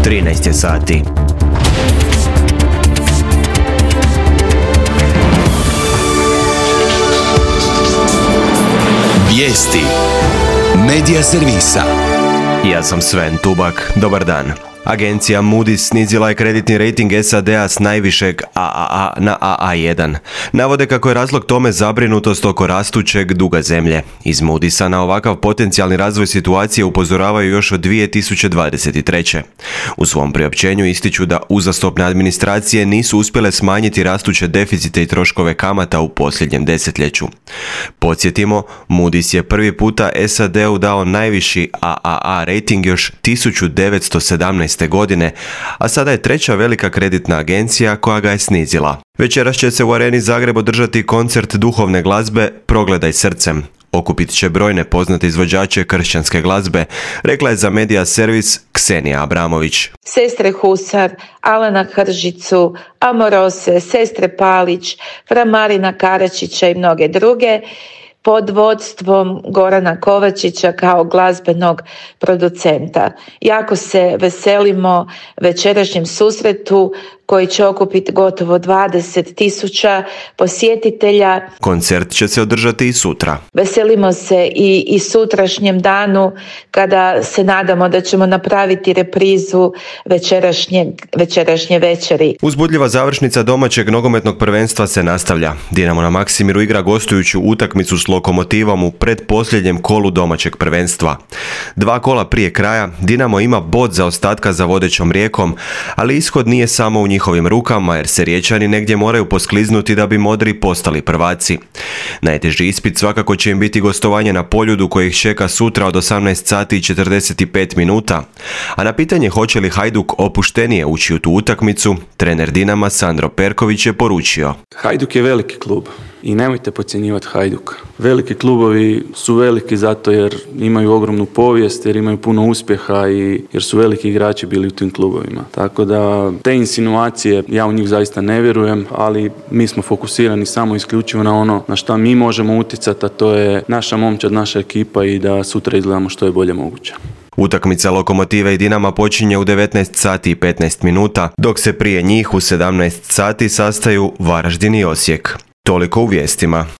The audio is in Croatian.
13 je sati. Vijesti Medija servisa. Ja sam Sven Tubak. Dobar dan. Agencija Moody's snizila je kreditni rejting SAD-a s najvišeg AAA na AA1. Navode kako je razlog tome zabrinutost oko rastućeg duga zemlje. Iz Moody'sa na ovakav potencijalni razvoj situacije upozoravaju još od 2023. U svom priopćenju ističu da uzastopne administracije nisu uspjele smanjiti rastuće deficite i troškove kamata u posljednjem desetljeću. Podsjetimo, Moody's je prvi puta SAD-u dao najviši AAA rejting još 1917. godine, a sada je treća velika kreditna agencija koja ga je snizila. Večeras će se u Areni Zagreb održati koncert duhovne glazbe Progledaj srcem. Okupit će brojne poznate izvođače kršćanske glazbe, rekla je za Medija servis Ksenija Abramović. Sestre Husar, Alana Hržicu, Amorose, sestre Palić, fra Marina Karačića i mnoge druge, pod vodstvom Gorana Kovačića kao glazbenog producenta. Jako se veselimo večerašnjem susretu koji će okupiti gotovo 20.000 posjetitelja. Koncert će se održati i sutra. Veselimo se i sutrašnjem danu kada se nadamo da ćemo napraviti reprizu večerašnje večeri. Uzbudljiva završnica domaćeg nogometnog prvenstva se nastavlja. Dinamo na Maksimiru igra gostujuću utakmicu s Lokomotivom u pretposljednjem kolu domaćeg prvenstva. 2 kola prije kraja Dinamo ima bod zaostatka za vodećom Rijekom, ali ishod nije samo u njihovim rukama jer se Riječani negdje moraju poskliznuti da bi modri postali prvaci. Najteži ispit svakako će im biti gostovanje na Poljudu koje ih čeka sutra od 18 sati i 45 minuta. A na pitanje hoće li Hajduk opuštenije ući u tu utakmicu, trener Dinama Sandro Perković je poručio: Hajduk je veliki klub i nemojte podcjenjivati Hajduk. Veliki klubovi su veliki zato jer imaju ogromnu povijest, jer imaju puno uspjeha i jer su veliki igrači bili u tim klubovima. Tako da te insinuacije, ja u njih zaista ne vjerujem, ali mi smo fokusirani samo isključivo na ono na šta mi možemo utjecati, a to je naša momčad, naša ekipa i da sutra izgledamo što je bolje moguće. Utakmica Lokomotive i Dinama počinje u 19 sati i 15 minuta, dok se prije njih u 17 sati sastaju Varaždin i Osijek. Toliko u vijestima.